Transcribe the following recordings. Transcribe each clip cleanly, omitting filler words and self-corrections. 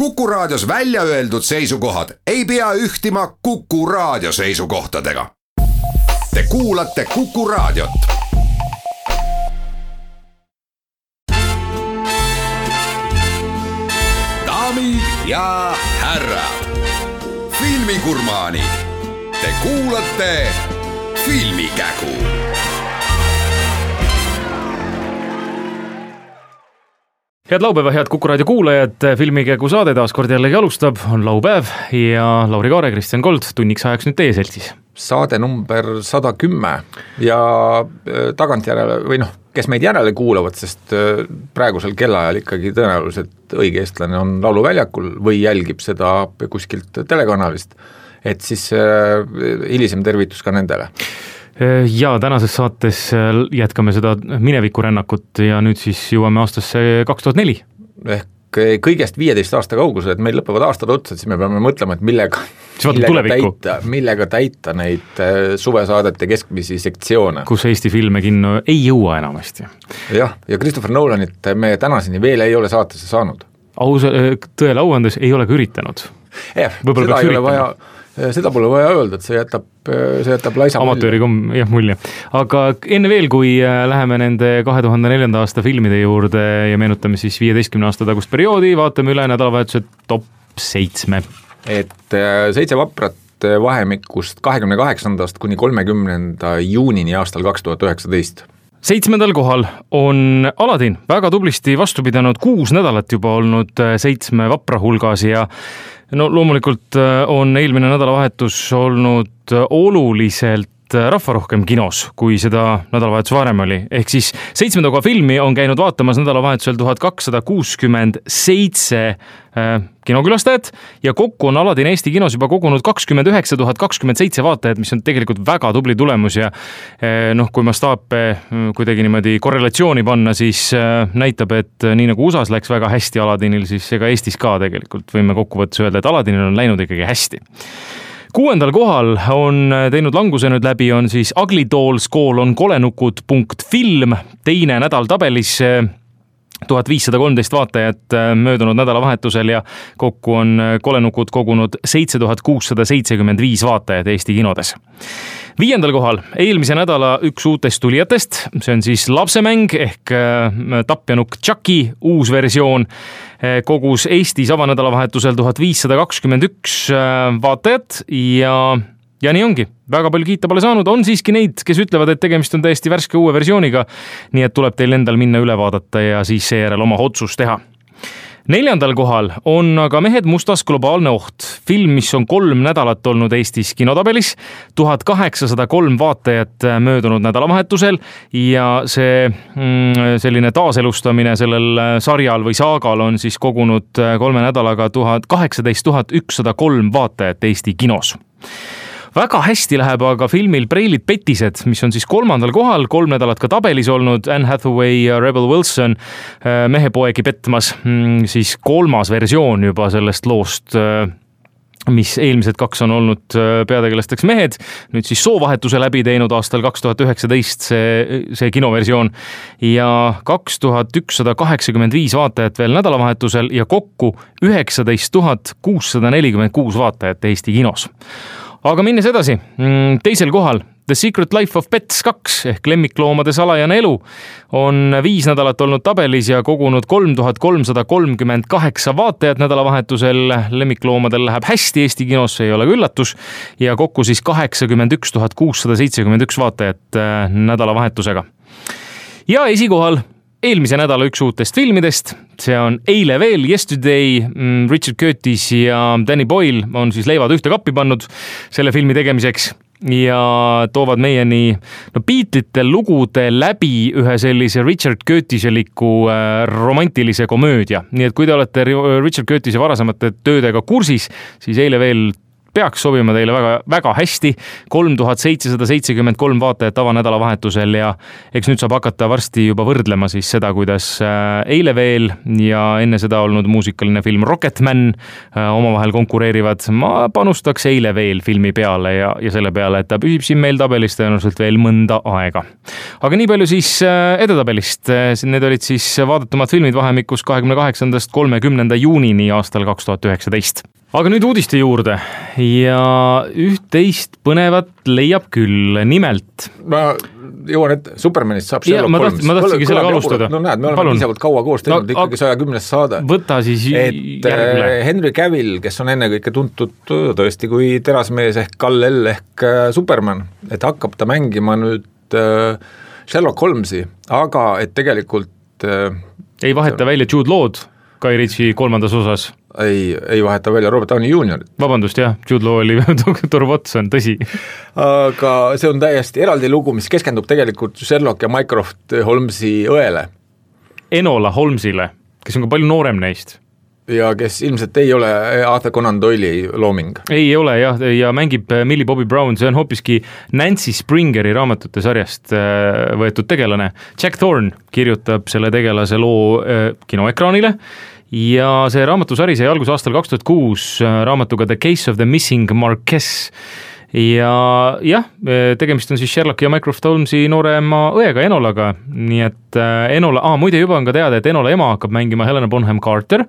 Kuku Raadios välja öeldud seisukohad ei pea ühtima Kuku Raadio seisukohtadega. Te kuulate Kuku Raadiot. Daamid ja härrad, filmigurmaanid, te kuulate Filmikägu. Head laupäeva, head Kuku Raadio kuulajad, Filmikägu saade taas kord jällegi alustab, on laupäev ja Lauri Kaare, Kristjan Kold tunniks ajaks nüüd teie seltsis. Saade number 110 ja tagantjärele või kes meid järele kuulavad, sest praegusel kellaajal ikkagi tõenäoliselt õige eestlane on lauluväljakul või jälgib seda kuskilt telekanalist, et siis hilisem tervitus ka nendele. Ja tänases saates jätkame seda minevikurännakut ja nüüd siis jõuame aastasse 2004. Ehk kõigest 15 aasta kaugusel, et meil lõpevad aastad otsa, siis me peame mõtlema, et millega täita neid suvesaadete keskmisi sektsioone. Kus Eesti filme kinno ei jõua enamasti. Jah, ja Christopher Nolanit me tänaseni veel ei ole saatesse saanud. Tõele auandes ei ole ka üritanud. Seda pole vaja öelda, et see jätab laisa amatööri mulje. Aga enne veel, kui läheme nende 2004. aasta filmide juurde ja meenutame siis 15 aasta tagust perioodi, vaatame üle nädalavahetuse top 7. Et 7 vaprat vahemikust 28. kuni 30. juunini aastal 2019. 7. kohal on Aladin, väga tublisti vastu pidanud 6 nädalat juba olnud 7 vapra hulgas ja loomulikult on eelmine nädalavahetus olnud oluliselt rahvarohkem kinos, kui seda nädalavahetus varem oli. Ehk siis 7. koha filmi on käinud vaatamas nädalavahetusel 1267 kinokülastajat ja kokku on Aladin Eesti kinos juba kogunud 29 027 vaatajat, mis on tegelikult väga tubli tulemus ja kui mastaape kuidagi niimoodi korrelatsiooni panna, siis näitab, et nii nagu USAs läks väga hästi Aladinil, siis ega Eestis ka tegelikult võime kokkuvõttes öelda, et Aladinil on läinud ikkagi hästi. 6. kohal on teinud languse nüüd läbi, on siis Ugly Dolls kolenukud.film, teine nädal tabelis 1513 vaatajat möödunud nädalavahetusel ja kokku on kolenukud kogunud 7675 vaatajat Eesti kinodes. 5. kohal eelmise nädala üks uutest tulijatest, see on siis lapsemäng ehk tapjanukk Chucky uus versioon, kogus Eestis avanädalavahetusel 1521 vaatajat ja nii ongi. Väga palju kiita pole saanud, on siiski neid, kes ütlevad, et tegemist on täiesti värske uue versiooniga, nii et tuleb teil endal minna üle vaadata ja siis seejärel oma otsus teha. 4. kohal on aga Mehed mustas globaalne oht, film, mis on 3 nädalat olnud Eestis kinotabelis, 1803 vaatajat möödunud nädalavahetusel ja see selline taaselustamine sellel sarjal või saagal on siis kogunud 3 nädalaga 18 103 vaatajat Eesti kinos. Väga hästi läheb aga filmil Preilid petised, mis on siis 3. kohal, 3 nädalat ka tabelis olnud, Anne Hathaway ja Rebel Wilson mehepoegi petmas, siis 3. versioon juba sellest loost, mis eelmised 2 on olnud peategelasteks mehed, nüüd siis soovahetuse läbi teinud aastal 2019 see kinoversioon ja 2185 vaatajat veel nädalavahetusel ja kokku 19 646 vaatajat Eesti kinos. Aga minnes edasi, 2. kohal The Secret Life of Pets 2 ehk lemmikloomade salajane elu on 5 nädalat olnud tabelis ja kogunud 3338 vaatajat nädalavahetusel. Lemmikloomadel läheb hästi Eesti kinos, see ei ole üllatus ja kokku siis 81 671 vaatajat nädalavahetusega. Ja esikohal eelmise nädala üks uutest filmidest, see on Eile veel, Yesterday, Richard Curtis ja Danny Boyle on siis leivad ühte kappi pannud selle filmi tegemiseks ja toovad meieni Beatlesite lugude läbi ühe sellise Richard Curtiseliku romantilise komöödia. Nii et kui te olete Richard Curtise varasemate töödega kursis, siis Eile veel peaks sobima teile väga, väga hästi. 3773 vaatajat avanädalavahetusel ja eks nüüd saab hakata varsti juba võrdlema siis seda, kuidas Eile veel ja enne seda olnud muusikaline film Rocketman omavahel konkureerivad. Ma panustaks Eile veel filmi peale ja selle peale, et ta püsib siin meil tabelis tõenäoliselt veel mõnda aega. Aga nii palju siis edetabelist. Need olid siis vaadatumad filmid vahemikus 28. 30. juunini aastal 2019. Aga nüüd uudiste juurde ja üht-teist põnevat leiab küll, nimelt. Ma jõuan, et Supermanist saab Sherlock Holmes. Ma tahtsingi sellega alustada. No näed, me oleme piisavalt kaua koos teinud, ikkagi 110. saade. Võta siis järgmine. Henry Cavill, kes on ennekõike tuntud tõesti kui terasmees ehk Kal-El ehk Superman, et hakkab ta mängima nüüd Sherlock Holmesi, aga et tegelikult ei vaheta välja Jude Law'd Guy Ritchie 3. osas. Ei vaheta välja Robert Downey Jr. Vabandust, jah, Jude Law oli Dr. Watson, tõsi. Aga see on täiesti eraldi lugu, mis keskendub tegelikult Sherlock ja Mycroft Holmesi õele. Enola Holmesile, kes on ka palju noorem neist. Ja kes ilmselt ei ole Arthur Conan Doyle'i looming. Ei ole, jah, ja mängib Millie Bobby Brown, see on hoopiski Nancy Springeri raamatute sarjast võetud tegelane. Jack Thorne kirjutab selle tegelase loo kinoekraanile ja see raamatusari sai algus aastal 2006 raamatuga The Case of the Missing Marquess ja jah, tegemist on siis Sherlock ja Mycroft Holmesi noorema õega Enolaga, nii et Enola, muide juba on ka teada, et Enola ema hakkab mängima Helena Bonham Carter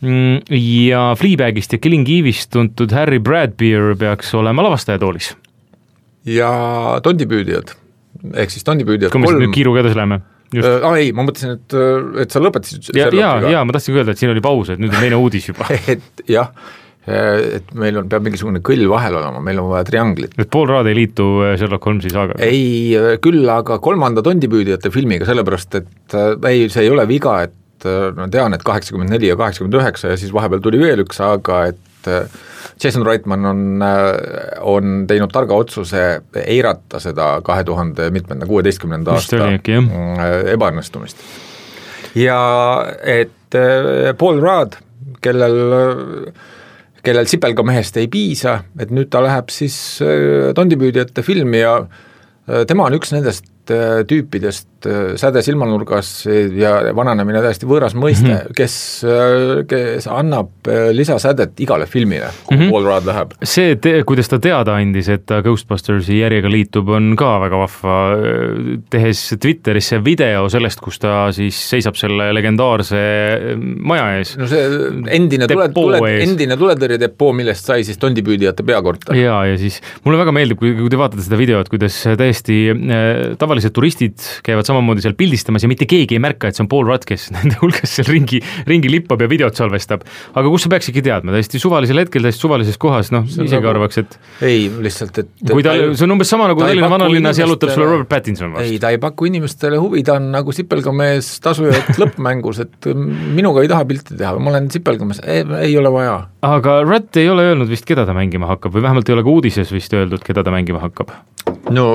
ja Fleabagist ja Killing Eve'ist tuntud Harry Bradbeer peaks olema lavastajatoolis. Ja tondipüüdijad, ehk siis tondipüüdijad kui me nüüd kiiruga edasi läheme. Ei, ma mõtlesin, et sa lõpetasid ja ma tahtsin öelda, et siin oli paus, et nüüd on teine uudis juba. Et jah, et meil peab mingisugune kõll vahel olema, meil on vaja trianglit. Et Paul Rudd ei liitu Sherlock Holmesi saaga? Ei, küll aga 3. tondipüüdijate filmiga, sellepärast, et see ei ole viga, et ma tean, et 84 ja 89 ja siis vahepeal tuli veel üks, aga et Jason Reitman on teinud targa otsuse eirata seda 2016. aasta ebaõnnestumist. Ja et Paul Rudd, kellel sipelgamehest ei piisa, et nüüd ta läheb siis tondipüüdjate filmi ja tema on üks nendest tüüpidest säde silmanurgas ja vananemine täiesti võõras mõiste, kes annab lisasädet igale filmile, kui Paul Rudd läheb. See, kuidas ta teada andis, et ta Ghostbustersi järjega liitub, on ka väga vahva, tehes Twitterisse video sellest, kus ta siis seisab selle legendaarse maja ees. No see endine tuletõrjedepoo, millest sai siis tondipüüdijate peakorter. Ja siis mulle väga meeldib, kui te vaatate seda videot, kuidas täiesti tavalised turistid käivad samamoodi seal pildistamas ja mitte keegi ei märka, et see on Paul Rudd, kes nende hulgas seal ringi lippab ja videot salvestab. Aga kus sa peaksidki teadma, täiesti suvalisel hetkel, täiesti suvalises kohas, isegi arvaks, et ei, lihtsalt, et see on umbes sama nagu Tallinna vanalinnas jalutab sulle Robert Pattinson vastu. Ei, ta ei paku inimestele huvi, ta on nagu sipelgamees tasujad lõppmängus, et minuga ei taha pilti teha, ma olen sipelgamees, ei ole vaja. Aga Rudd ei ole öelnud vist, keda ta mängima hakkab või vähemalt ei ole ka uudises vist öeldud, keda ta mängima hakkab. No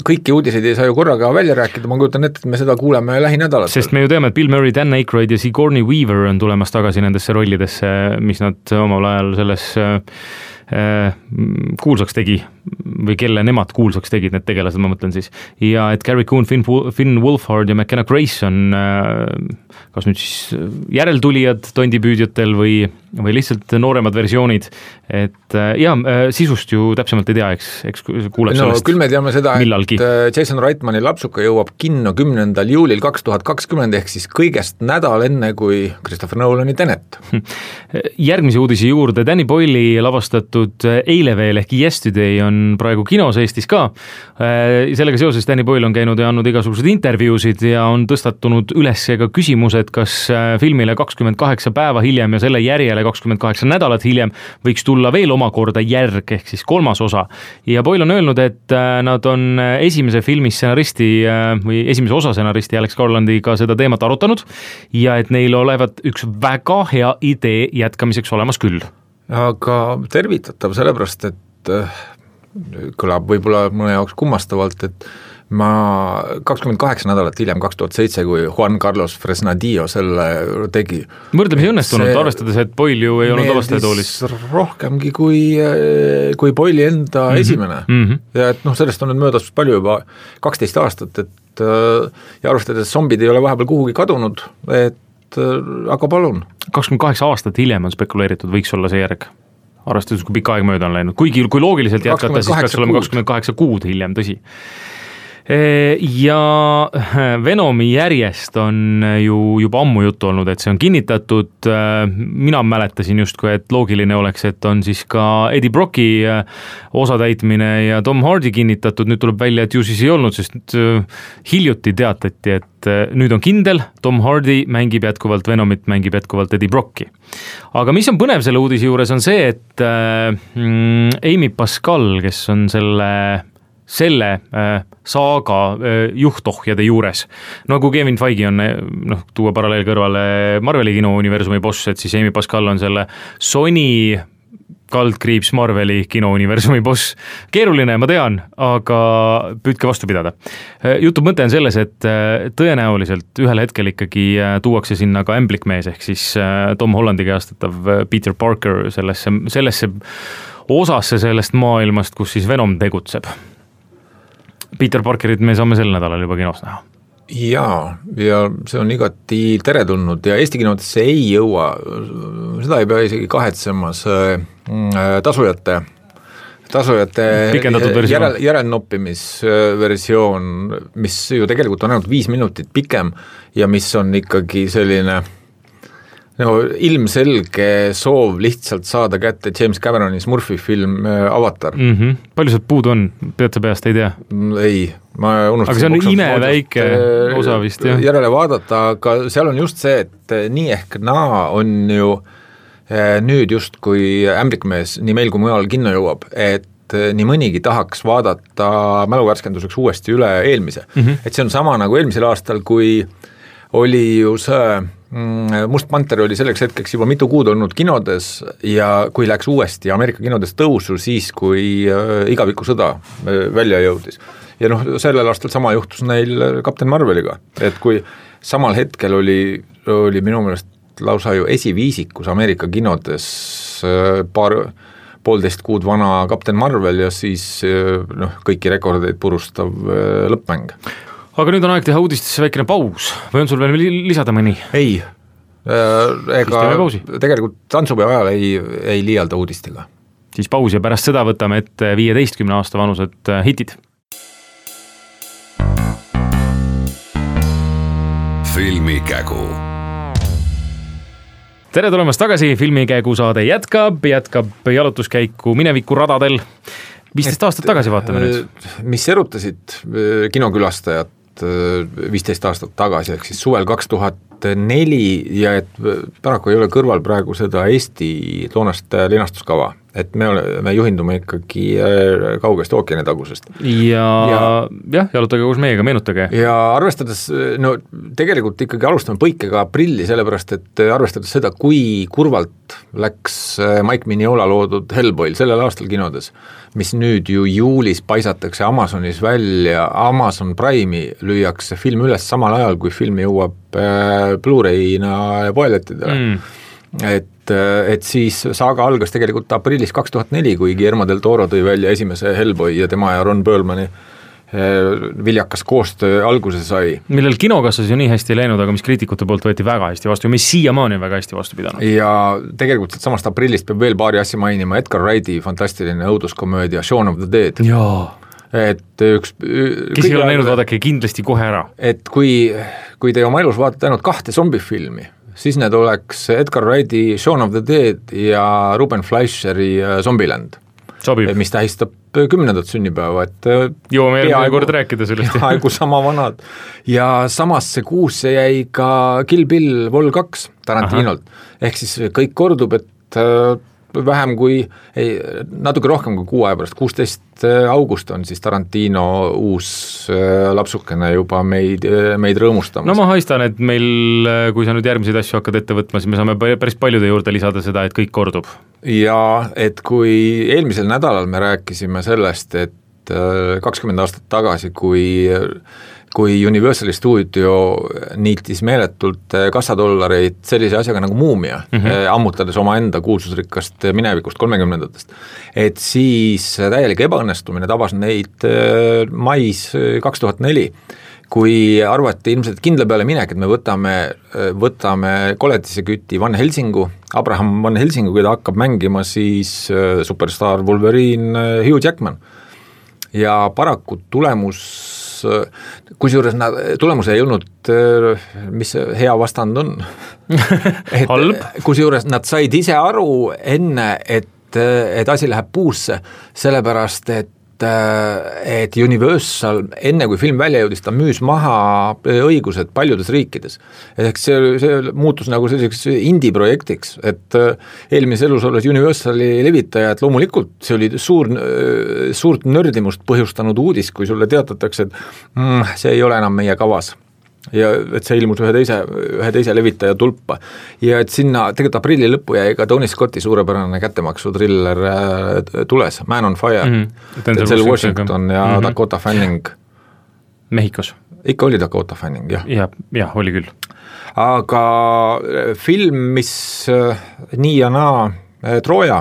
kõiki uudiseid ei saa ju korraga välja rääkida, ma kujutan ette, et me seda kuuleme lähinädalat. Sest me ju teame, et Bill Murray, Dan Aykroyd ja Sigourney Weaver on tulemas tagasi nendesse rollidesse, mis nad omal ajal selles kuulsaks tegi või kelle nemad kuulsaks tegid, need tegelased, ma mõtlen siis. Ja et Gary Coon, Finn Wolfhard ja McKenna Grace on kas nüüd siis järeltulijad tondipüüdjatel või lihtsalt nooremad versioonid, et sisust ju täpsemalt ei tea, eks kuuleb sellest küll me teame seda, millalgi. Et Jason Reitmani lapsuka jõuab kinno 10. juulil 2020 ehk siis kõigest nädal enne kui Christopher Nolani Tenet. Järgmise uudise juurde, Danny Boyle'i lavastatud Eile veel ehk Yesterday on praegu kinos Eestis ka. Sellega seoses Danny Boyle on käinud ja andnud igasugused intervjuusid ja on tõstatunud üles ka küsimused, kas filmile 28 päeva hiljem ja selle järjele 28 nädalat hiljem võiks tulla veel omakorda järg ehk siis 3. osa. Ja Boyle on öelnud, et nad on esimese filmi stsenaristi või esimese osa stsenaristi Alex Garlandiga seda teemat arutanud ja et neil olevat üks väga hea idee jätkamiseks olemas küll. Aga tervitatav sellepärast, et kõlab võib-olla mõne jaoks kummastavalt, et ma 28 nädalat hiljem, 2007, kui Juan Carlos Fresnadillo selle tegi. Võrdlemisi õnnestunud, arvestades, et Boyle ju ei olnud avastajatoolis. Rohkemgi kui Boyle'i enda esimene. Ja et sellest on nüüd möödas palju juba 12 aastat, et ja arvestades zombid ei ole vahepeal kuhugi kadunud, et aga palun. 28 aastat hiljem on spekuleeritud, võiks olla see järg. Arvestades, kui pikka aeg mööda on läinud. Kuigi kui loogiliselt jätkata, siis peaks olema 28 kuud hiljem, tõsi. Ja Venomi järjest on ju juba ammu juttu olnud, et see on kinnitatud. Mina mäletasin justkui, et loogiline oleks, et on siis ka Eddie Brocki osatäitmine ja Tom Hardy kinnitatud. Nüüd tuleb välja, et ju siis ei olnud, sest hiljuti teatati, et nüüd on kindel, Tom Hardy mängib jätkuvalt Venomit, mängib jätkuvalt Eddie Brocki. Aga mis on põnev selle uudise juures on see, et Amy Pascal, kes on selle saaga juhtohjade juures. No kui Kevin Feige on, tuua paralleel kõrvale Marveli kinouniversumi boss, et siis Amy Pascal on selle Sony kaldkriips Marveli kinouniversumi boss. Keeruline, ma tean, aga püüdke vastu pidada. Jutu mõte on selles, et tõenäoliselt ühel hetkel ikkagi tuuakse sinna ka ämblikmees, ehk siis Tom Hollandi käestatav Peter Parker sellesse osasse sellest maailmast, kus siis Venom tegutseb. Peter Parkerit me saame sel nädalal juba kinos näha. Ja see on igati teretulnud ja Eesti kinodesse ei jõua, seda ei pea isegi kahetsema, see tasujate järelnoppimisversioon, mis ju tegelikult on ainult 5 minutit pikem ja mis on ikkagi selline ilmselge soov lihtsalt saada kätte James Cameroni Smurfi film Avatar. Palju sealt puudu on? Pead sa peast, ei tea? Ei, ma unustasin. Aga see on imeväike osa vist, jah? Järele vaadata, aga seal on just see, et nii ehk naa on ju nüüd just kui ämblikmees nii meil kui mujal kinno jõuab, et nii mõnigi tahaks vaadata mäluvärskenduseks uuesti üle eelmise. Et see on sama nagu eelmisel aastal, kui oli ju see Must Panter oli selleks hetkeks juba mitu kuud olnud kinodes ja kui läks uuesti Ameerika kinodes tõusu siis, kui igaviku sõda välja jõudis. Ja sellel aastal sama juhtus neil Captain Marveliga, et kui samal hetkel oli minu meelest lausa ju esiviisikus Ameerika kinodes poolteist kuud vana Captain Marvel ja siis kõiki rekordeid purustav lõppmäng. Aga nüüd on aeg teha uudistesse väikene paus või on sul veel lisada mõni? Ei, ega tegelikult tantsupeo ajal ei liialda uudistega. Siis paus ja pärast seda võtame ette 15 aasta vanused hitid. Filmikägu. Tere tulemast tagasi, Filmikägu saade jätkab jalutuskäiku mineviku radadel. 15 aastat tagasi vaatame nüüd. Mis erutasid kinokülastajat 15 aastat tagasi, ehk siis suvel 2004 ja et paraku ei ole kõrval praegu seda Eesti toonast linastuskava, et me juhindume ikkagi kaugest ookeanitagusest. Ja jalutage koos meiega, meenutage. Ja arvestades, tegelikult ikkagi alustame põikega aprilli, sellepärast et arvestades seda, kui kurvalt läks Mike Mignola loodud Hellboy sellel aastal kinodes, mis nüüd ju juulis paisatakse Amazonis välja, Amazon Prime'i lüüakse film üles samal ajal, kui film jõuab Blu-ray'na ja poelettidele. Et siis saaga algas tegelikult aprillis 2004, kui Guillermo del Toro tõi välja esimese Hellboy ja tema ja Ron Perlmani viljakas koostöö alguse sai. Millel kinokassas ju nii hästi läinud, aga mis kriitikute poolt võeti väga hästi vastu ja mis siiamaani on väga hästi vastu pidanud. Ja tegelikult samast aprillist peab veel paari asja mainima Edgar Wrighti fantastiline õuduskomöödia Shaun of the Dead. Jaa. Et üks... Kes ei ole näinud, vaadake kindlasti kohe ära. Et kui te oma elus vaatate ainult 2 zombifilmi, siis need oleks Edgar Wrighti Shaun of the Dead ja Ruben Fleischeri Zombieland. Sobib. Mis tähistab 10. sünnipäeva, et jõuame järgmine kord rääkida sellest. Aegu sama vanad. Ja samasse kuusse jäi ka Kill Bill Vol 2 Tarantinolt. Ehk siis kõik kordub, et vähem kui, natuke rohkem kui 6 aja pärast, 16 august on siis Tarantino uus lapsukene juba meid rõõmustamas. No ma haistan, et meil, kui sa nüüd järgmiseid asju hakkad ette võtma, siis me saame päris paljude juurde lisada seda, et kõik kordub. Ja et kui eelmisel nädalal me rääkisime sellest, et 20 aastat tagasi, kui Universali stuudio niitis meeletult kassadollareid sellise asjaga nagu Muumia, ammutades omaenda kuulsusrikkast minevikust 30-ndatest, et siis täielik ebaõnnestumine tabas neid mais 2004, kui arvati ilmselt kindla peale minek, et me võtame koletiseküti Van Helsingu, Abraham Van Helsingu, keda hakkab mängima siis superstaar Wolverine Hugh Jackman. Ja paraku tulemus ei olnud, mis hea vastand on. Halb. Kusjuures nad said ise aru enne, et asi läheb puusse, sellepärast, et Universal, enne kui film välja jõudis, ta müüs maha õigused paljudes riikides. Ehk see muutus nagu selliseks indie-projektiks, et eelmises elus olles Universali levitajad, loomulikult see oli suurt nördimust põhjustanud uudis, kui sulle teatatakse, et see ei ole enam meie kavas. Ja et see ilmus ühe teise levitaja tulpa. Ja et sinna tegelikult aprilli lõppu jäi ka Tony Scotti suurepärane kättemaksu thriller tules, Man on Fire, Denzel Washington ja Dakota Fanning. Mehhikos. Ikka oli Dakota Fanning, jah. Jah, oli küll. Aga film, mis nii ja naa Troja,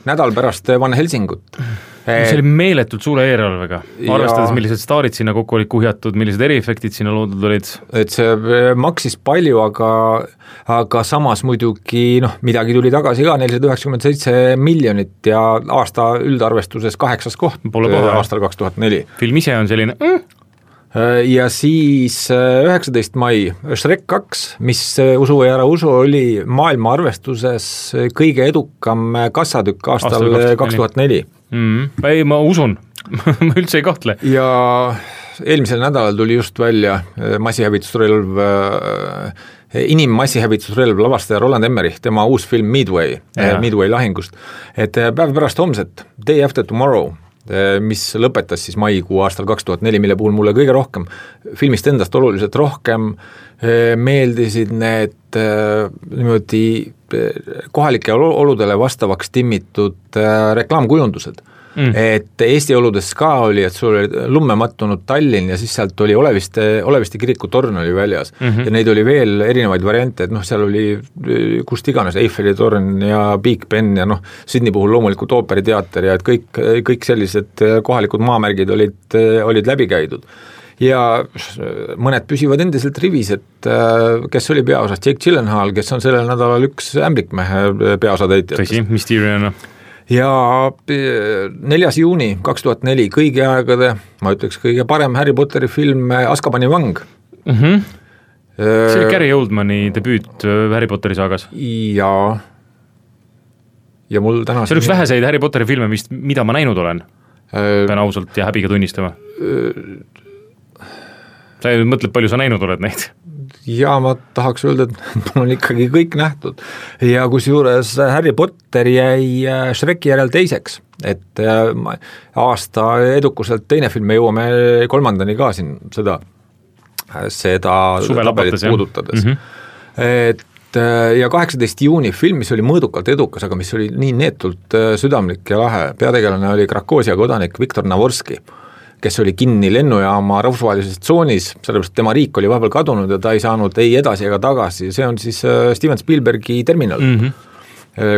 nädal pärast Van Helsingut. See oli meeletult suure eelarvega, arvestades millised staarid sinna kokku olid kuhjatud, millised eriefektid sinna loodud olid. Et see maksis palju, aga samas muidugi midagi tuli tagasi ka, 497 miljonit ja aasta üldarvestuses 8. koht aastal 2004. Film ise on selline... Ja siis 19. mai Shrek 2, mis usu või ära usu, oli maailma arvestuses kõige edukam kassadükk aastal 2004. Ei, ma usun, ma üldse ei kahtle. Ja eelmisel nädalal tuli just välja massihävitusrelv, inimmassihävitusrelv lavastaja Roland Emmerich, tema uus film Midway lahingust, et päev pärast homset, Day After Tomorrow, mis lõpetas siis maikuu aastal 2004, mille puhul mulle kõige rohkem, filmist endast oluliselt rohkem meeldisid need niimoodi kohalike oludele vastavaks timmitud reklaamkujundused. Et Eesti oludes ka oli, et sul oli lumme mattunud Tallinn ja siis sealt oli Oleviste kiriku torn oli väljas ja neid oli veel erinevaid variante, et seal oli kust iganes Eiffeli torn ja Big Ben ja Sydney puhul loomulikult ooperiteater ja et kõik sellised kohalikud maamärgid olid läbi käidud. Ja mõned püsivad endiselt rivis, et kes oli peaosas, Jake Gyllenhaal, kes on sellel nädalal üks ämblikmehe peaosatäitjatest. Tõsi, Mysterion. Ja 4. juuni 2004 kõigi aegade, ma ütleks kõige parem Harry Potteri film Azkabani vang. See oli Gary Oldmani debüüt Harry Potteri saagas. Ja mul täna... See on üks väheseid Harry Potteri filme, mida ma näinud olen. Pean ausalt ja häbiga tunnistama. Sa mõtled, palju sa näinud oled neid? Ja ma tahaks öelda, et mul on ikkagi kõik nähtud ja kusjuures Harry Potter jäi Shreki järel teiseks, et aasta edukuselt teine film, me jõuame 3. ka siin seda tabelit puudutades. Et ja 18. juuni film, mis oli mõõdukalt edukas, aga mis oli nii neetult südamlik ja lahe, peategelane oli Krakoosia kodanik Viktor Navorski, kes oli kinni lennujaama rahvusvahelises tsoonis, sellepärast tema riik oli vahepeal kadunud ja ta ei saanud ei edasi ega tagasi. See on siis Steven Spielbergi Terminal,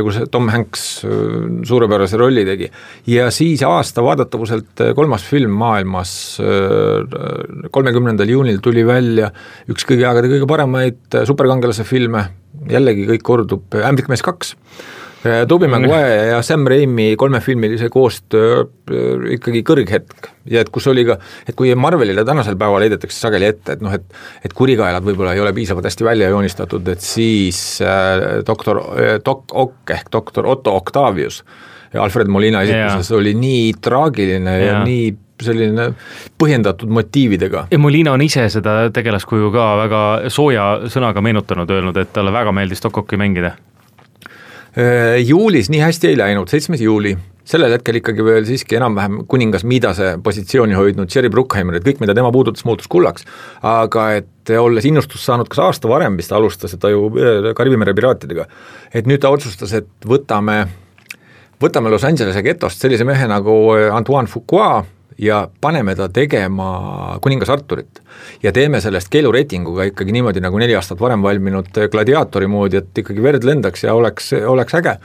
kus Tom Hanks suurepärase rolli tegi. Ja siis aasta vaadatavuselt 3. film maailmas 30. juunil tuli välja üks kõige aegade kõige paremaid superkangelase filme, jällegi kõik kordub, Ämblikmees 2. Tobey Maguire ja Sam Raimi 3-filmilise koostöö ikkagi kõrghetk ja et kus oli ka, et kui Marvelile tänasel päeval heidetakse sageli ette, et kurikaelad võib-olla ei ole piisavalt hästi välja joonistatud, et siis Doc Ock ehk doktor Otto Octavius ja Alfred Molina esituses oli nii traagiline ja nii selline põhjendatud motiividega. Ja Molina on ise seda tegelaskuju ka väga sooja sõnaga meenutanud, öelnud, et talle väga meeldis Doc Ocki mängida. Juulis nii hästi ei läinud, 7. juuli, sellel hetkel ikkagi veel siiski enam-vähem kuningas Midase positsiooni hoidnud Jerry Bruckheimer, et kõik, mida tema puudutas, muutus kullaks, aga et olles innustus saanud kas aasta varem, mis ta alustas, et ta ju Karibimere piraatidega, et nüüd ta otsustas, et võtame Los Angelese getost sellise mehe nagu Antoine Fuqua ja paneme ta tegema Kuningas Arturit ja teeme sellest keelureitinguga ikkagi niimoodi nagu 4 aastat varem valminud gladiaatori moodi, et ikkagi verd lendaks ja oleks äge.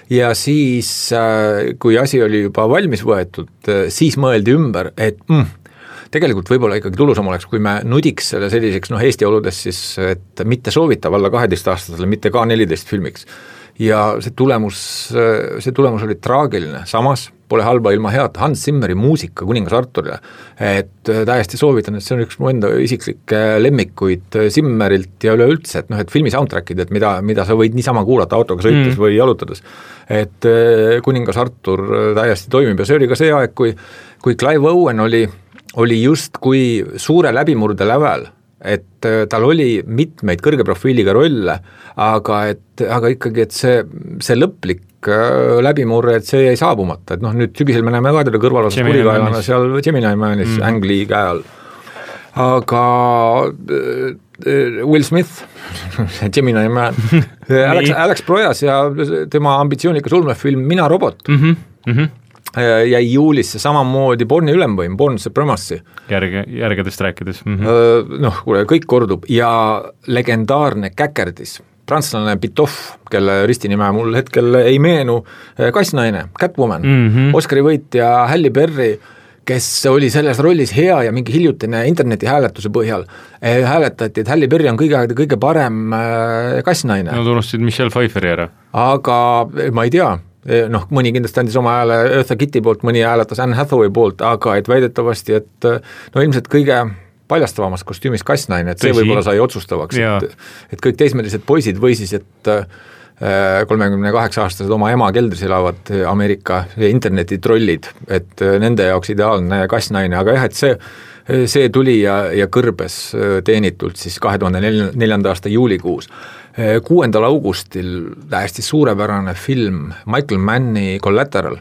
Ja siis, kui asi oli juba valmis võetud, siis mõeldi ümber, et tegelikult võib-olla ikkagi tulusam oleks, kui me nudiks selle selliseks, Eesti oludes siis, et mitte soovitav alla 12-aastasele, mitte ka 14 filmiks. Ja see tulemus oli traagiline, samas pole halba ilma head Hans Zimmeri muusika Kuningas Arturile, et täiesti soovitan, et see on üks mu enda isiklikke lemmikuid Zimmerilt ja üleüldse, et filmi soundtrackid, et mida sa võid niisama kuulata autoga sõites või jalutades, et Kuningas Artur täiesti toimib ja see oli ka see aeg, kui Clive Owen oli just kui suure läbimurde lävel, et tal oli mitmeid kõrge profiiliga rolle, aga ikkagi, et see lõplik läbimurre, et see jäi saabumata, et nüüd sügisel me näeme ka teda kõrvalosas kurikaelana seal Gemini Manis Ang Lee käe all. Aga Will Smith, Gemini Man, Alex Proyas ja tema ambitsioonikas ulmefilm Mina robot jäi juulisse samamoodi Borni ülemvõim, Born Supremacy. Järgedest rääkides. Kuule, kõik kordub ja legendaarne käkerdis, prantslane Pitov, kelle ristinime mul hetkel ei meenu, kassnaine, Catwoman, Oscari võitja Halle Berry, kes oli selles rollis hea ja mingi hiljutine interneti hääletuse põhjal hääletati, et Halle Berry on kõige parem kassnaine. No tunnustid Michelle Pfeifferi ära. Aga ma ei tea, mõni kindlasti andis oma hääle Eartha Kitti poolt, mõni hääletas Anne Hathaway poolt, aga et väidetavasti, et ilmselt kõige paljastavamast kostüümis kassnaine, et see võib-olla sai otsustavaks, et kõik teismelised poisid või siis, et 38-aastased oma ema keldris elavad Ameerika internetitrollid, et nende jaoks ideaalne kassnaine, aga jah, et see tuli ja kõrbes teenitult siis 2004. aasta juulikuus. 6. augustil täiesti suurepärane film Michael Manni Collateral,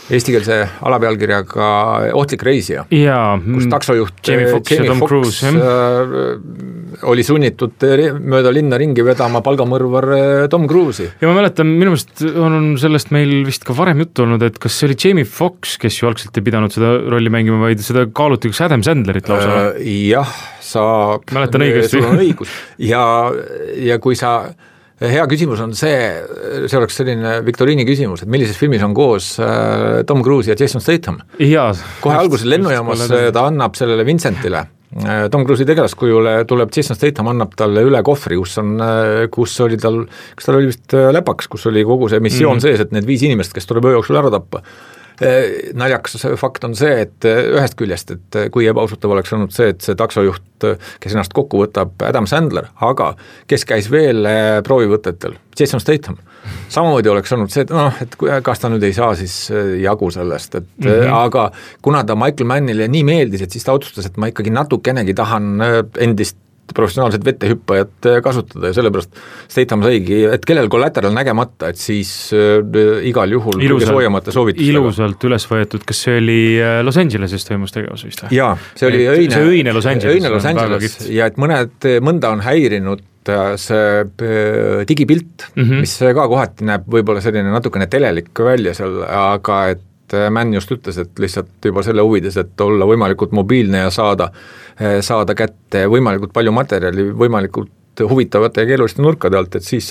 eestikeelse alapealkirjaga Ohtlik reisija, kus taksojuht Jamie Foxx oli sunnitud mööda linna ringi vedama palgamõrvar Tom Cruise'i. Ja ma mäletan, minu meelest on sellest meil vist ka varem juttu olnud, et kas see oli Jamie Foxx, kes ju algselt ei pidanud seda rolli mängima, vaid seda kaaluti üks Adam Sandlerit lausa. Jah, mäletan õigesti. Sul on õigus. Ja kui sa, hea küsimus on see oleks selline viktoriini küsimus, et millises filmis on koos Tom Cruise ja Jason Statham. Kohe alguses lennujaamas ta annab sellele Vincentile, Tom Cruise'i tegelaskujule tuleb Jason Statham, annab talle üle kohvri, kus oli tal, kas tal oli vist läpaks, kus oli kogu see missioon sees, et need 5 inimest, kes tuleb öö jooksul ära tappa. Naljakas fakt on see, et ühest küljest, et kui ebausutav oleks olnud see, et see taksojuht, kes ennast kokku võtab, Adam Sandler, aga kes käis veel proovivõtetel, Jason Statham. Samamoodi oleks olnud see, et kas ta nüüd ei saa siis jagu sellest, et aga kuna ta Michael Mannile nii meeldis, et siis ta otsustas, et ma ikkagi natukenegi tahan endist professionaalset vettehüppajat kasutada ja sellepärast Statham saigi, et kellel Collateral nägemata, et siis igal juhul kõige soojamate soovitustega. Ilusalt üles võetud, kas see oli Los Angeleses toimus tegevus vist? Jaa, see oli õine Los Angeles ja et mõnda on häirinud see digipilt, mis ka kohati näeb võib-olla selline natukene telelik välja seal, aga et Mann just ütles, et lihtsalt juba selle huvides, et olla võimalikult mobiilne ja saada kätte võimalikult palju materjali, võimalikult huvitavate ja keeluliste nurkade alt, et siis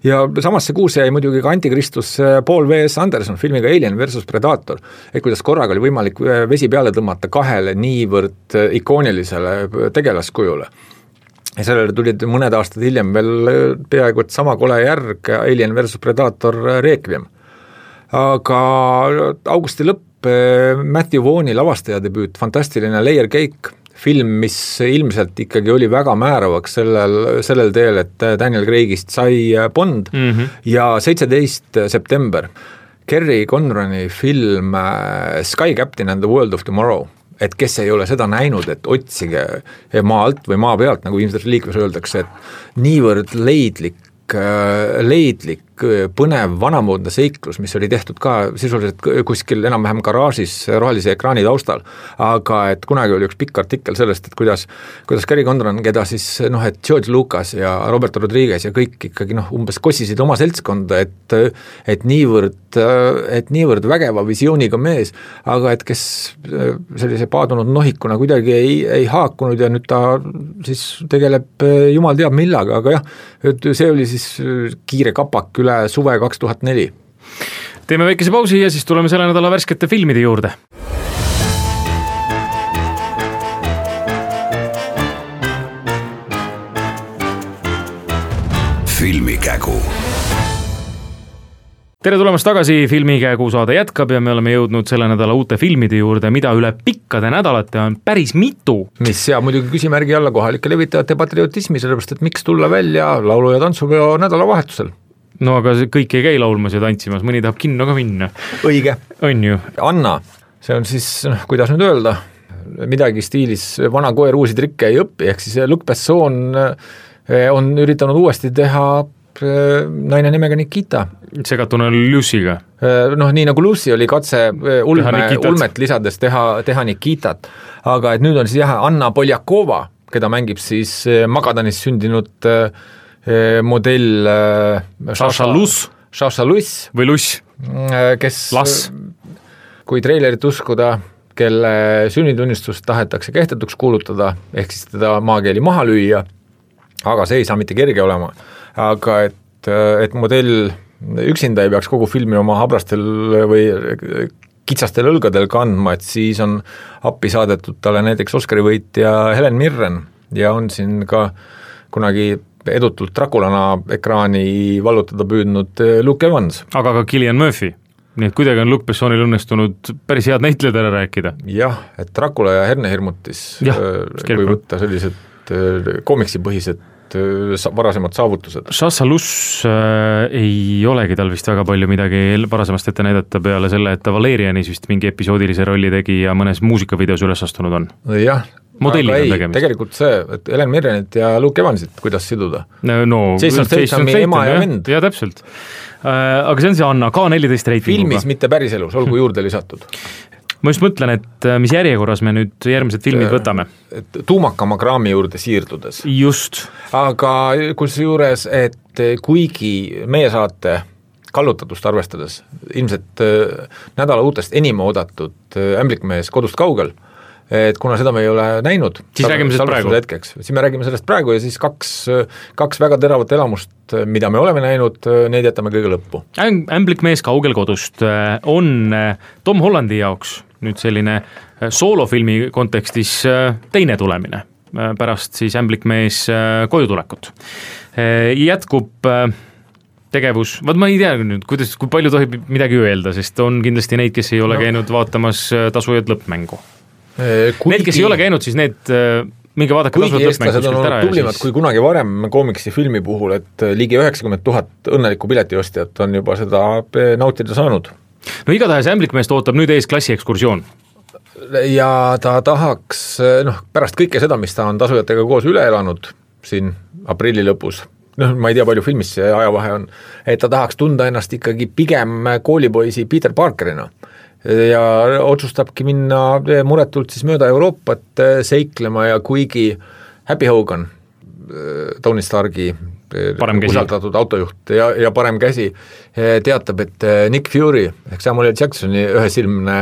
ja samas see kuus jäi muidugi ka Antikristus Paul V.S. Anderson filmiga Alien versus Predator, et kuidas korraga oli võimalik vesi peale tõmmata 2 niivõrd ikoonilisele tegelaskujule. Ja sellele tulid mõned aastad hiljem veel peaaegu et sama kole järg Alien versus Predator Requiem. Aga augusti lõpp, Matthew Vaughn'i lavastaja debüüt, fantastiline Layer Cake, film, mis ilmselt ikkagi oli väga määravaks sellel teel, et Daniel Craigist sai Bond ja 17. september Kerry Conrani film Sky Captain and the World of Tomorrow, et kes ei ole seda näinud, et otsige maa alt või maa pealt, nagu ilmselt liikves öeldakse, et niivõrd leidlik põnev vanamoodne seiklus, mis oli tehtud ka sisuliselt kuskil enam-vähem garaažis rohelise ekraani taustal, aga et kunagi oli üks pikk artikkel sellest, et kuidas Gary Condon, keda siis et George Lucas ja Robert Rodriguez ja kõik ikkagi umbes kossisid oma seltskonda, et niivõrd vägeva visiooniga mees, aga et kes sellise paadunud nohikuna kuidagi ei haakunud ja nüüd ta siis tegeleb jumal teab millaga, aga jah, see oli siis kiire kapak üle suve 2004. Teeme väikese pausi ja siis tuleme selle nädala värskete filmide juurde. Filmikägu. Tere tulemast tagasi, Filmikägu saade jätkab ja me oleme jõudnud selle nädala uute filmide juurde, mida üle pikkade nädalate on päris mitu. Mis seab muidugi küsimärgi alla kohalike levitajate patriotismi, sellepärast et miks tulla välja laulu- ja tantsupeo nädalavahetusel? No aga kõik ei käi laulmas ja tantsimas, mõni tahab kinno ka minna. Õige. On ju. Anna, see on siis, kuidas nüüd öelda, midagi stiilis vana koer uusi trikke ei õppi, ehk siis Luc Besson on üritanud uuesti teha naine nimega Nikita. Segatuna Lucy'ga. Nii nagu Lucy oli katse ulmet lisades teha Nikitat, aga et nüüd on siis Anna Poljakova, keda mängib siis Magadanis sündinud modell Sasha Luss või Luss, kes, kui treilerit uskuda, kelle sünnitunnistust tahetakse kehtetuks kuulutada, ehk siis teda maakeeli maha lüüa, aga see ei saa mitte kerge olema. Aga et modell üksinda ei peaks kogu filmi oma habrastel või kitsastel õlgadel kandma, et siis on appi saadetud talle näiteks Oscari võitja Helen Mirren ja on siin ka kunagi edutult Draculana ekraani vallutada püüdnud Luke Evans. Aga ka Cillian Murphy. Nii et kuidagi on Luc Bessonil õnnestunud päris head näitlejad ära rääkida. Jah, et Dracula ja hernehirmutis, kui võtta sellised komiksipõhised varasemad saavutused. Sasha Luss ei olegi tal vist väga palju midagi varasemast ette näidata peale selle, et ta Valerianis vist mingi episoodilise rolli tegi ja mõnes muusikavideos üles astunud on. Jah, modelliga on tegemist. Tegelikult see, et Helen Mirrenit ja Luke Evansit, kuidas siduda? Jason Stathami ema ja vend. Ja täpselt. Aga see on see Anna, K14 reitinguga. Filmis, mitte päriselus, olgu juurde lisatud. Ma just mõtlen, et mis järjekorras me nüüd järgmised filmid võtame. Tuumakama kraami juurde siirdudes. Just. Aga kusjuures, et kuigi meie saate kallutatust arvestades, ilmselt nädala uutest enim oodatud Ämblikmees kodust kaugel, et kuna seda me ei ole näinud, siis räägime sellest praegu. Siis me räägime sellest praegu ja siis kaks väga teravat elamust, mida me oleme näinud, neid jätame kõige lõppu. Ämblikmees kaugel kodust on Tom Hollandi jaoks nüüd selline soolofilmi kontekstis teine tulemine pärast siis Ämblikmees koju tulekut. Jätkub tegevus, ma ei tea nüüd, kui palju tohib midagi öelda, sest on kindlasti neid, kes ei ole käinud vaatamas Tasujad lõppmängu. Need, kes ei ole käinud, siis need minge vaadake kuigi eestlased on olnud tublimad kui kunagi varem koomiksi filmi puhul, et ligi 90 000 õnnelikku piletiostjat on juba seda nautida saanud. No igatahes Ämblikmeest ootab nüüd ees klassiekskursioon. Ja ta tahaks, pärast kõike seda, mis ta on tasujatega koos üle elanud siin aprilli lõpus, ma ei tea, palju filmis see ajavahe on, et ta tahaks tunda ennast ikkagi pigem koolipoisi Peter Parkerina ja otsustabki minna muretult siis mööda Euroopat seiklema ja kuigi Happy Hogan, Tony Starki usaldatud autojuht ja parem käsi, teatab, et Nick Fury ehk Samuel L. Jacksoni ühesilmne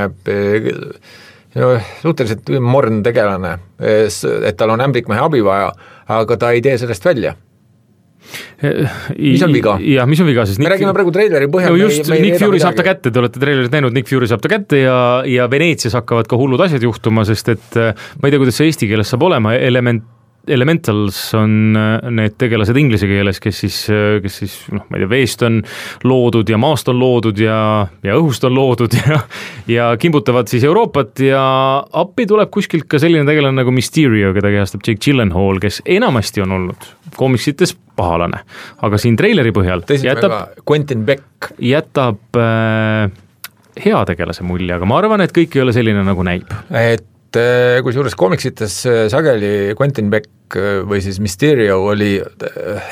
suhteliselt morn tegelane, et tal on ämblikmehe abi vaja, aga ta ei tee sellest välja. Mis on viga? Ja, mis on viga, sest me räägime praegu treileri põhjal. Nick Fury saab ta kätte, te olete treilerit näinud, Nick Fury saab ta kätte ja Veneetsias hakkavad ka hullud asjad juhtuma, sest et ma ei tea, kuidas see eesti keeles saab olema, Elementals on need tegelased inglise keeles, kes siis ma ei tea, veest on loodud ja maast on loodud ja õhust on loodud ja kimbutavad siis Euroopat ja appi tuleb kuskilt ka selline tegelane nagu Mysterio, keda kehastab Jake Gyllenhaal, kes enamasti on olnud koomiksites pahalane, aga siin treileri põhjal Quentin Beck jätab hea tegelase mulje, aga ma arvan, et kõik ei ole selline nagu näib. Kusjuures koomiksites sageli Quentin Beck või siis Mysterio oli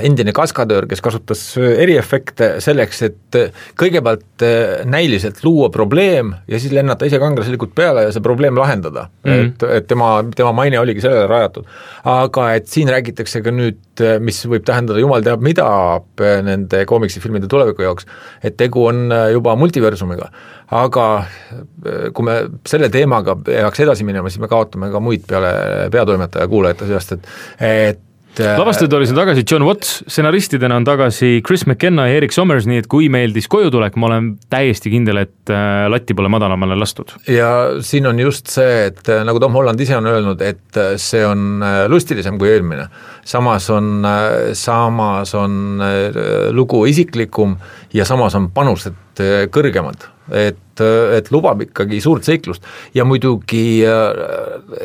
endine kaskadöör, kes kasutas eriefekte selleks, et kõigepealt näiliselt luua probleem ja siis lennata ise kangelaslikult peale ja see probleem lahendada. Et tema maine oligi sellele rajatud. Aga et siin räägitakse ka nüüd, mis võib tähendada jumal teab mida nende koomiksifilmide tuleviku jaoks, et tegu on juba multiversumiga. Aga kui me selle teemaga peaks edasi minema, siis me kaotame ka muid peale peatoimetaja kuulajate seast, et lavastatud oli siin tagasi John Watts, stsenaristidena on tagasi Chris McKenna ja Eric Sommers, nii et kui meeldis kojutulek, ma olen täiesti kindel, et latti pole madalamale lastud. Ja siin on just see, et nagu Tom Holland ise on öelnud, et see on lustilisem kui eelmine. Samas on lugu isiklikum ja samas on panused kõrgemad. Et lubab ikkagi suurt seiklust ja muidugi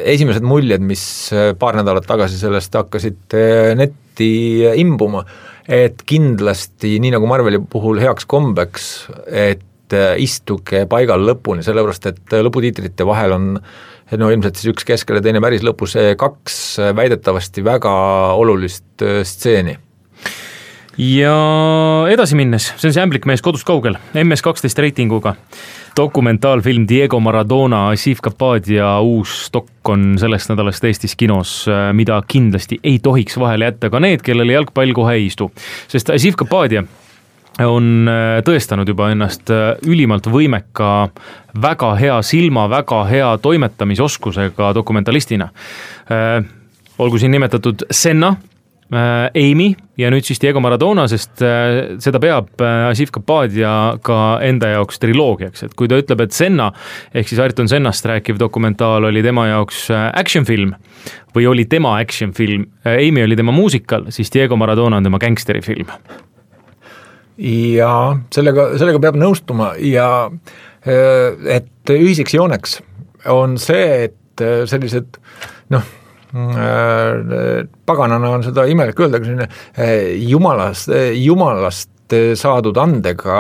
esimesed muljed, mis paar nädalat tagasi sellest hakkasid netti imbuma, et kindlasti, nii nagu Marveli puhul heaks kombeks, et istuge paigal lõpuni, sellepärast et lõputiitrite vahel on ilmselt siis üks keskel ja teine päris lõpus 2 väidetavasti väga olulist stseeni. Ja edasi minnes, see on see ämblikmees kodust kaugel, MS12 reitinguga. Dokumentaalfilm Diego Maradona, Asif Kapadia uus dok on sellest nädalast Eestis kinos, mida kindlasti ei tohiks vahele jätta ka need, kellele jalgpall kohe ei istu. Sest Asif Kapadia on tõestanud juba ennast ülimalt võimeka, väga hea silma, väga hea toimetamisoskusega dokumentalistina. Olgu siin nimetatud Senna, Amy ja nüüd siis Diego Maradona, sest seda peab Asif Kapadia ka enda jaoks triloogiaks, et kui ta ütleb, et Senna ehk siis Ayrton Sennast rääkiv dokumentaal oli tema jaoks actionfilm või oli tema actionfilm, Amy oli tema muusikal, siis Diego Maradona on tema gangsterifilm. Ja sellega peab nõustuma ja et ühiseks jooneks on see, et sellised paganana on seda imelik öelda, jumalast saadud andega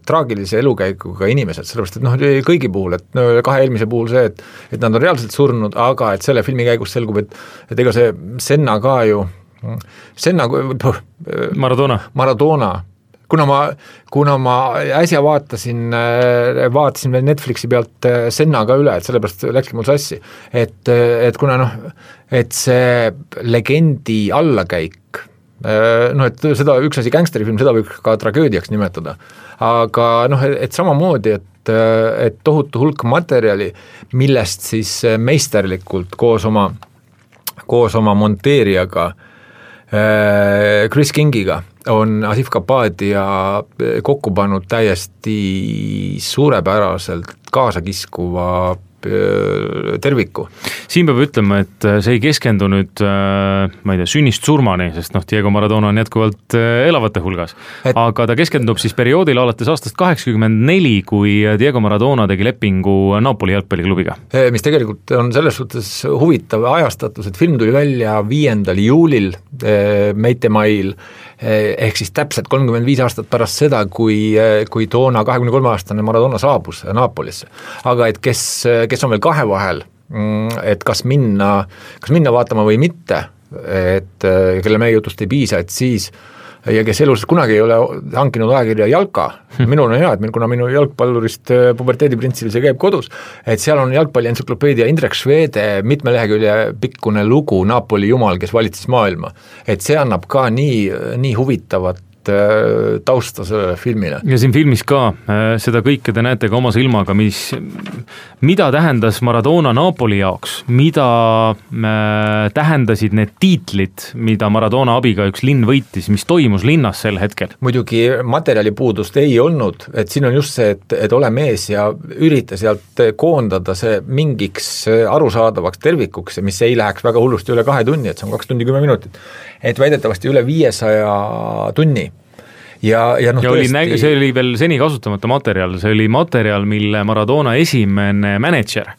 traagilise elukäikuga inimesed, sellepärast et kõigi puhul, et 2 eelmise puhul see, et nad on reaalselt surnud, aga et selle filmi käigus selgub, et ega see Senna ka ju Maradona, kuna ma äsja vaatasin veel Netflixi pealt Senna ka üle, et sellepärast läkski mul sassi, et kuna et see legendi allakäik, et seda üks asi gangsterifilm, seda võib ka tragöödiaks nimetada, aga et samamoodi, et tohutu hulk materjali, millest siis meisterlikult koos oma monteerijaga Chris Kingiga on Asif Kapadia kokku pannud täiesti suurepäraselt kaasakiskuva terviku. Siin peab ütlema, et see ei keskendu nüüd, ma ei tea, sünnist surmani, sest Diego Maradona on jätkuvalt elavate hulgas, aga ta keskendub siis perioodil alates aastast 84, kui Diego Maradona tegi lepingu Napoli jalgpalliklubiga. Mis tegelikult on selles suhtes huvitav ajastatus, et film tuli välja 5. juulil Meitemail, ehk siis täpselt 35 aastat pärast seda, kui toona 23-aastane Maradona saabus Napolisse. Aga et kes on veel 2 vahel, et kas minna vaatama või mitte, et kelle meie jutust ei piisa, et siis ja kes elus kunagi ei ole hankinud ajakirja Jalka, minul on hea, et kuna minu jalgpallurist puberteediprintsile see käib kodus, et seal on jalgpalli entsüklopeedia Indrek Švede mitme lehekülje pikkune lugu Napoli jumal, kes valitses maailma, et see annab ka nii huvitavat tausta sellele filmile. Ja siin filmis ka seda kõike te näete ka oma silmaga, mida tähendas Maradona Napoli jaoks, mida tähendasid need tiitlid, mida Maradona abiga üks linn võitis, mis toimus linnas sel hetkel. Muidugi materjalipuudust ei olnud, et siin on just see, et ole mees ja ürita sealt koondada see mingiks arusaadavaks tervikuks, mis ei läheks väga hullusti üle 2 tunni, et see on 2 tundi 10 minutit, et väidetavasti üle 500 tunni. Ja tõesti... see oli veel seni kasutamata materjal, see oli materjal, mille Maradona esimene manager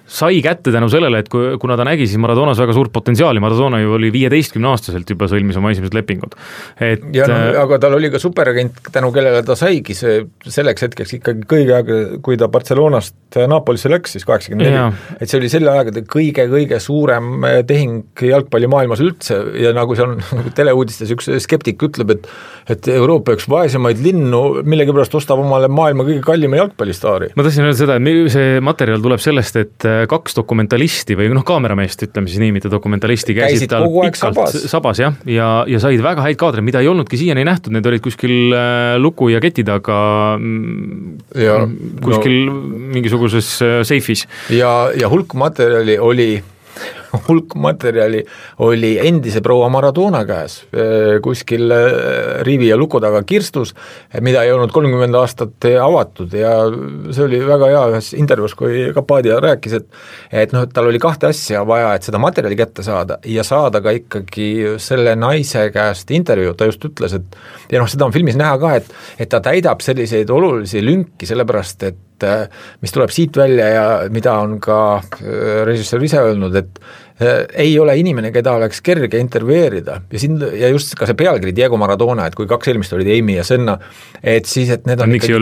sai kätte tänu sellele, et kuna ta nägi siis Maradonas väga suurt potentsiaali, Maradona ju oli 15-aastaselt juba sõlmis oma esimesed lepingud. Ja aga tal oli ka superagent, tänu kellele ta saigi selleks hetkeks ikkagi kõige aega, kui ta Barcelonast Napolisse läks, siis 84, et see oli selle aegade kõige suurem tehing jalgpallimaailmas üldse ja nagu seal teleuudistes üks skeptik ütleb, et Euroopa üks vaesemaid linnu millegipärast ostab omale maailma kõige kallima jalgpallistaari. Ma tahtsin öelda seda, et see materjal tuleb sellest, et 2 dokumentalisti või kaamerameest, ütleme siis nii, mitte dokumentalisti käisid tal pikalt sabas ja said väga häid kaadreid, mida ei olnudki siiani nähtud, need olid kuskil luku ja keti taga kuskil mingisuguses seifis. Ja hulk materjali oli endise proua Maradona käes kuskil rivi ja luku taga kirstus, mida ei olnud 30 aastat avatud ja see oli väga hea ühes intervjuus, kui Kapadia rääkis, et tal oli 2 asja vaja, et seda materjali kätte saada ja saada ka ikkagi selle naise käest intervjuu, ta just ütles, et ja seda on filmis näha ka, et ta täidab selliseid olulisi lünki, sellepärast et mis tuleb siit välja ja mida on ka režissöör ise öelnud, et ei ole inimene, keda oleks kerge intervjueerida ja just ka see pealkiri Diego Maradona, et kui 2 eelmist olid Amy ja Senna, et siis, et need on ikkagi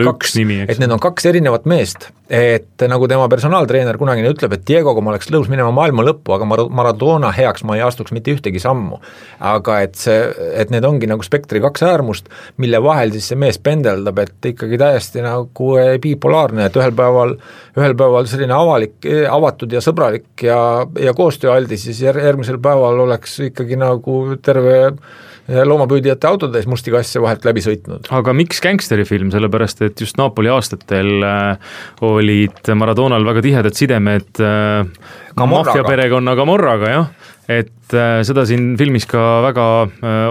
need on 2 erinevat meest, et nagu tema personaaltreener kunagine ütleb, et Diegoga ma oleks lõus minema maailma lõppu, aga Maradona heaks ma ei astuks mitte ühtegi sammu, aga et need ongi nagu spektri 2 äärmust, mille vahel siis see mees pendeldab, et ikkagi täiesti nagu bipolaarne, et ühel päeval selline avatud ja sõbralik ja koostööaldis, siis järgmisel päeval oleks ikkagi nagu terve loomapüüdjate autodes musti kasse vahelt läbi sõitnud. Aga miks gangsterifilm? Sellepärast, et just Napoli aastatel olid Maradonal väga tihedad sidemed maffiaperekonna Camorraga, jah. Et seda siin filmis ka väga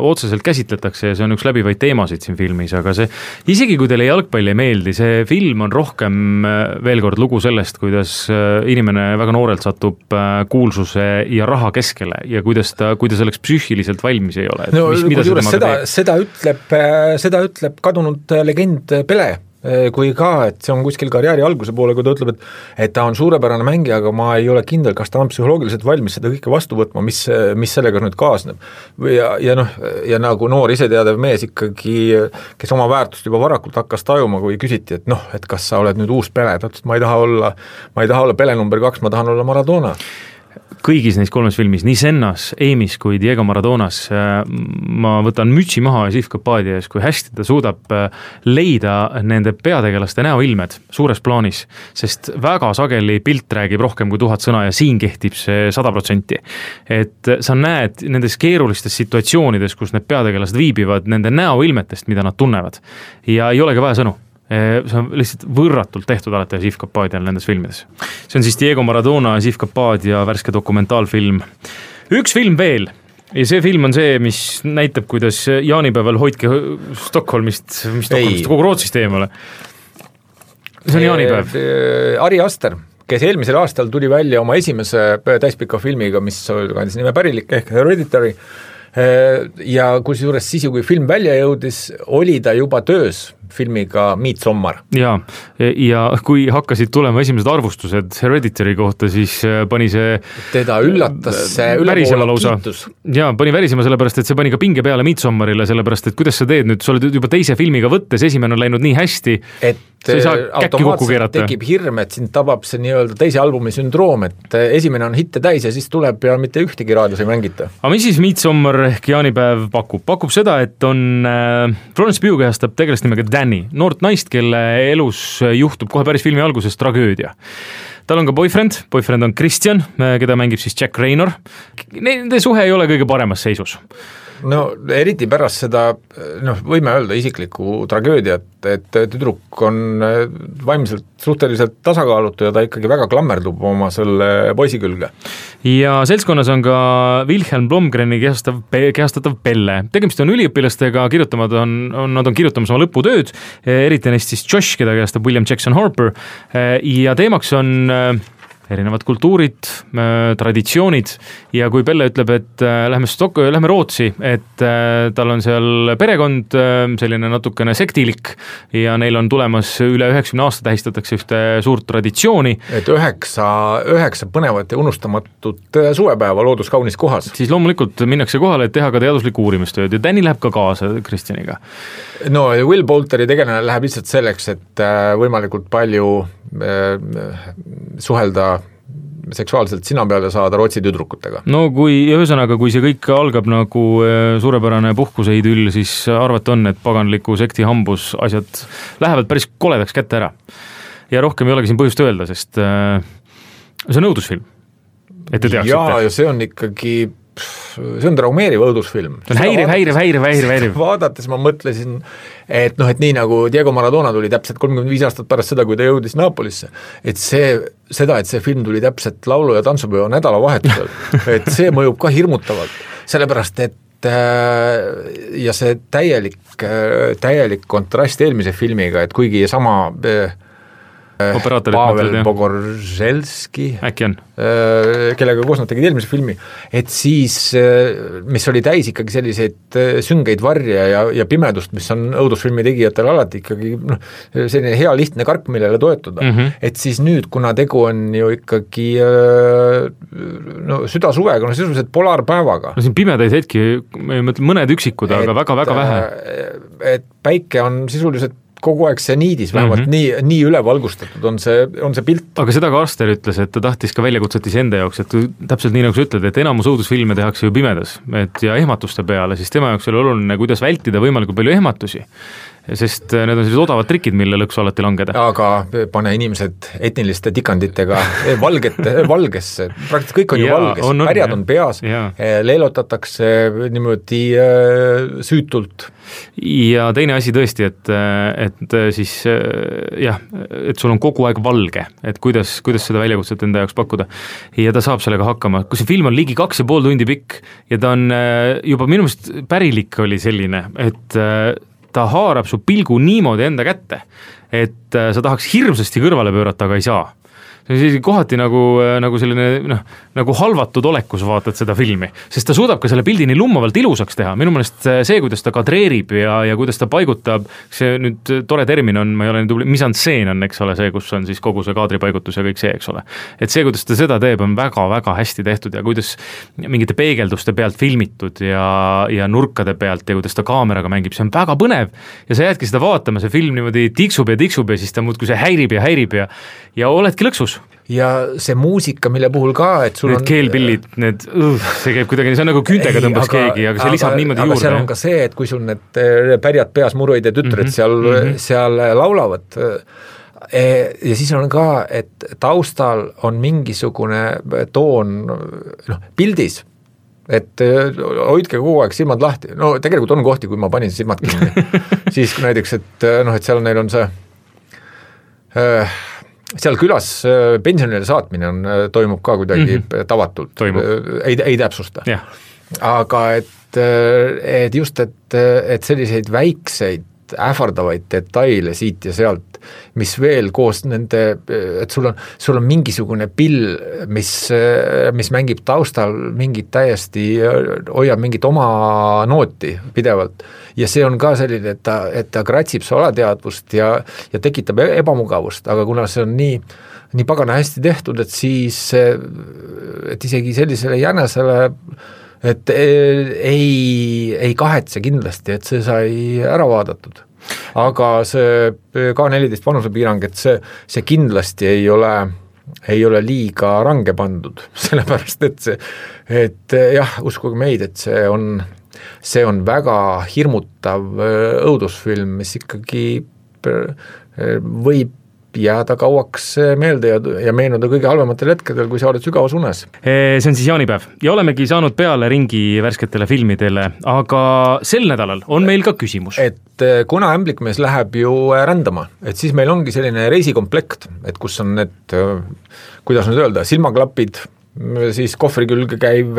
otseselt käsitletakse ja see on üks läbivaid teemasid siin filmis, aga see, isegi kui teile jalgpalli ei meeldi, see film on rohkem veel kord lugu sellest, kuidas inimene väga noorelt satub kuulsuse ja raha keskele ja kuidas selleks psüühiliselt valmis ei ole. No, seda ütleb kadunud legend Pele, kui ka, et see on kuskil karjääri alguse poole, kui ta ütleb, et ta on suurepärane mängija, aga ma ei ole kindel, kas ta on psühholoogiliselt valmis seda kõike vastu võtma, mis sellega nüüd kaasneb. Ja nagu noor iseteadev mees ikkagi, kes oma väärtust juba varakult hakkas tajuma, kui küsiti, et kas sa oled nüüd uus Pele, ta ütles, et ma ei taha olla Pele number 2, ma tahan olla Maradona. Kõigis neis 3 filmis, nii Sennas, Amis kui Diego Maradonas, ma võtan mütsi maha ja Sif Kapadia ees, kui hästi ta suudab leida nende peategelaste näoilmed suures plaanis, sest väga sageli pilt räägib rohkem kui 1000 sõna ja siin kehtib see 100%. Et sa näed nendes keerulistes situatsioonides, kus need peategelased viibivad, nende näoilmetest, mida nad tunnevad ja ei olegi vaja sõnu. See on lihtsalt võrratult tehtud alati Sif Kapadial nendes filmides. See on siis Diego Maradona ja Sif Kapadia värske dokumentaalfilm. Üks film veel ja see film on see, mis näitab, kuidas jaanipäeval hoidke Stockholmist kogu Rootsist eemale. See on jaanipäev. Ari Aster, kes eelmisel aastal tuli välja oma esimese täispika filmiga, mis kandis nime pärilik ehk Hereditary, ja kusjuures siis, kui film välja jõudis, oli ta juba töös filmiga Midsommar. Ja kui hakkasid tulema esimesed arvustused Hereditary kohta, siis pani see teda üllatas see ülepoole kiitus. Ja pani värisema sellepärast, et see pani ka pinge peale Midsommarile, sellepärast, et kuidas sa teed nüüd, sa oled juba teise filmiga võttes, esimene on läinud nii hästi, et automaatselt tekib hirm, et sind tabab see nii-öelda teise albumi sündroom, et esimene on hitte täis ja siis tuleb ja mitte ühtegi raadios ei mängita. Aga mis siis Midsommar ehk jaanipäev pakub? Pakub seda, et on Florence Pugh kehastab tegelast nimega Danny, noort naist, kelle elus juhtub kohe päris filmi alguses tragöödia. Tal on ka boyfriend on Christian, keda mängib siis Jack Raynor. Nende suhe ei ole kõige paremas seisus. No eriti pärast seda, võime öelda isiklikku tragöödiat, et tüdruk on vaimselt suhteliselt tasakaalutu ja ta ikkagi väga klammerdub oma selle poisi külge. Ja seltskonnas on ka Wilhelm Blomgreni kehastatav Pelle. Tegemist on üliõpilastega, nad on kirjutamas oma lõputööd, eriti neist siis Josh, keda kehastab William Jackson Harper, ja teemaks on erinevad kultuurid, traditsioonid ja kui Pelle ütleb, et lähme Rootsi, et tal on seal perekond, selline natukene sektilik ja neil on tulemas üle 90 aasta tähistatakse ühte suurt traditsiooni. Et üheksa põnevat ja unustamatut suvepäeva loodus kaunis kohas. Siis loomulikult minnakse kohale, et teha ka teaduslik uurimistööd ja Danny läheb ka kaasa Kristjaniga. No Will Poulteri tegelane läheb lihtsalt selleks, et võimalikult palju suhelda seksuaalselt sina peale saada Rootsi tüdrukutega. No kui see kõik algab nagu suurepärane puhkuse idüll, siis arvata on, et paganliku sekti hambus asjad lähevad päris koledaks kätte ära. Ja rohkem ei olegi siin põhjust öelda, sest see on õudusfilm. Et te teaksite. Ja see on ikkagi see on traumeeriv õudusfilm. See on häiriv. Vaadates ma mõtlesin, et nii nagu Diego Maradona tuli täpselt 35 aastat pärast seda, kui ta jõudis Napolisse, et see film tuli täpselt laulu- ja tantsupeo nädalavahetusel, et see mõjub ka hirmutavalt, sellepärast et ja see täielik kontrast eelmise filmiga, et kuigi sama Pavel Pogorzelski, äkki on, kellega koos nad tegid eelmise filmi, et siis, mis oli täis ikkagi selliseid süngeid varje ja pimedust, mis on õudusfilmi tegijatel alati ikkagi selline hea lihtne kark, millele toetuda. Et siis nüüd, kuna tegu on ju ikkagi südasuvega, sisuliselt polaarpäevaga. No siin pimedaid hetki, ma mõtlen mõned üksikud, aga väga-väga vähe. Et päike on sisuliselt kogu aeg see niidis, vähemalt nii ülevalgustatud on see pilt. Aga seda ka Arster ütles, et ta tahtis ka väljakutset enda jaoks, et täpselt nii nagu sa ütled, et enamus õudusfilme tehakse ju pimedas ja ehmatuste peale, siis tema jaoks oli oluline, kuidas vältida võimalikult palju ehmatusi. Sest need on sellised odavad trikid, mille lõksu alati langeda. Aga pane inimesed etniliste tikanditega valgesse, praktiliselt kõik on ju valges, pärjad on peas, leelotatakse niimoodi süütult. Ja teine asi tõesti, et siis et sul on kogu aeg valge, et kuidas seda väljakutset enda jaoks pakkuda. Ja ta saab sellega hakkama. Kui see film on ligi 2,5 tundi pikk ja ta on juba minu meelest pärilik oli selline, et ta haarab su pilgu niimoodi enda kätte, et sa tahaks hirmsasti kõrvale pöörata, aga ei saa. See on kohati nagu selline nagu halvatud olekus vaatad seda filmi, sest ta suudab ka selle pildi nii lummavalt ilusaks teha. Minu meelest see, kuidas ta kadreerib ja kuidas ta paigutab, see nüüd tore termin on, ma ei ole nii tubli, mise-en-scène on, eks ole, see, kus on siis kogu see kaadripaigutus ja kõik see, eks ole. Et see, kuidas ta seda teeb, on väga-väga hästi tehtud ja kuidas mingite peegelduste pealt filmitud ja nurkade pealt ja kuidas ta kaameraga mängib, see on väga põnev ja sa jäädki seda vaatama, see film niimoodi tiksub ja siis ta muudkui see häirib ja oledki lõksus. Ja see muusika, mille puhul ka, et sul need keelpillid, see käib kuidagi, see on nagu küütega tõmbas keegi, aga see lisab niimoodi juurde. Aga seal on ka see, et kui sul need pärjad peas muruid ja tütred seal laulavad ja siis on ka, et taustal on mingisugune toon pildis, et hoidke kogu aeg silmad lahti. No tegelikult on kohti, kui ma panin silmad kinni. Siis kui näiteks, et seal neil on see seal külas pensionile saatmine toimub ka kuidagi tavatult, ei täpsusta. Aga et just, et selliseid väikseid ähvardavaid detaile siit ja sealt, mis veel koos nende, et sul on mingisugune pill, mis mängib taustal mingit täiesti, hoiab mingit oma nooti pidevalt ja see on ka selline, et ta kratsib su alateadvust ja tekitab ebamugavust, aga kuna see on nii pagana hästi tehtud, et siis et isegi sellisele jänesele et ei kahetse kindlasti, et see sai ära vaadatud. Aga see K14 vanusepiirang, et see kindlasti ei ole liiga range pandud, sellepärast et jah, uskuge meid, et see on väga hirmutav õudusfilm, mis ikkagi võib jääda kauaks meelde ja meenuda kõige halvematel hetkedel, kui sa oled sügavas unes. See on siis jaanipäev ja olemegi saanud peale ringi värsketele filmidele, aga sel nädalal on meil ka küsimus. Et kuna Ämblikmees läheb ju rändama, et siis meil ongi selline reisikomplekt, et kus on need, kuidas nüüd öelda, silmaklapid, siis kohvri külge käiv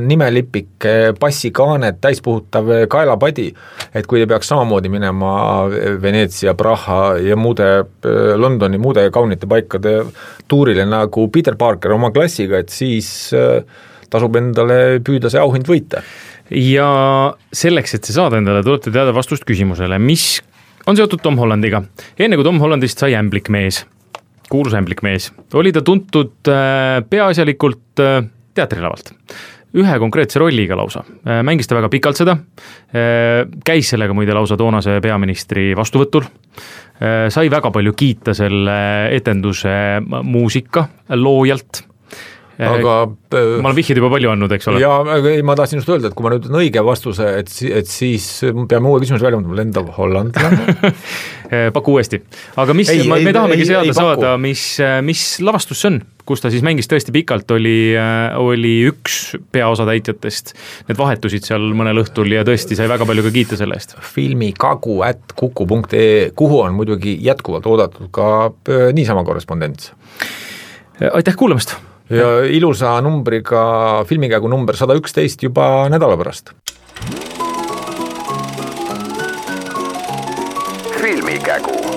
nimelipik, passikaanet, täispuhutav kaelapadi, et kui te peaks samamoodi minema Veneetsia, Praha ja Londoni muude kaunite paikade tuurile nagu Peter Parker oma klassiga, et siis tasub endale püüda see auhind võita. Ja selleks, et see saada endale, tulete teada vastust küsimusele, mis on seotud Tom Hollandiga. Enne kui Tom Hollandist sai ämblikmees, kuulus ämblikmees, oli ta tuntud peaasjalikult teatrilavalt. Ühe konkreetse rolliga lausa. Mängis ta väga pikalt seda, käis sellega muide lausa toonase peaministri vastuvõtul, sai väga palju kiita selle etenduse muusika loojalt. Aga ma olen vihjid juba palju andnud, eks ole? Ja ma tahtsin just öelda, et kui ma nüüd on õige vastuse, et siis peame uue küsimuse välja mõtlema, lendav hollandlane. Paku uuesti. Aga me tahamegi saada, mis lavastus see on, kus ta siis mängis tõesti pikalt, oli üks peaosa täitjatest. Need vahetusid seal mõnel õhtul ja tõesti sai väga palju ka kiita selle eest. filmikagu@kuku.ee, kuhu on muidugi jätkuvalt oodatud ka niisama korrespondents. Aitäh kuulamast! Ja ilusa numbriga filmikägu number 111 juba nädala pärast. Filmikägu.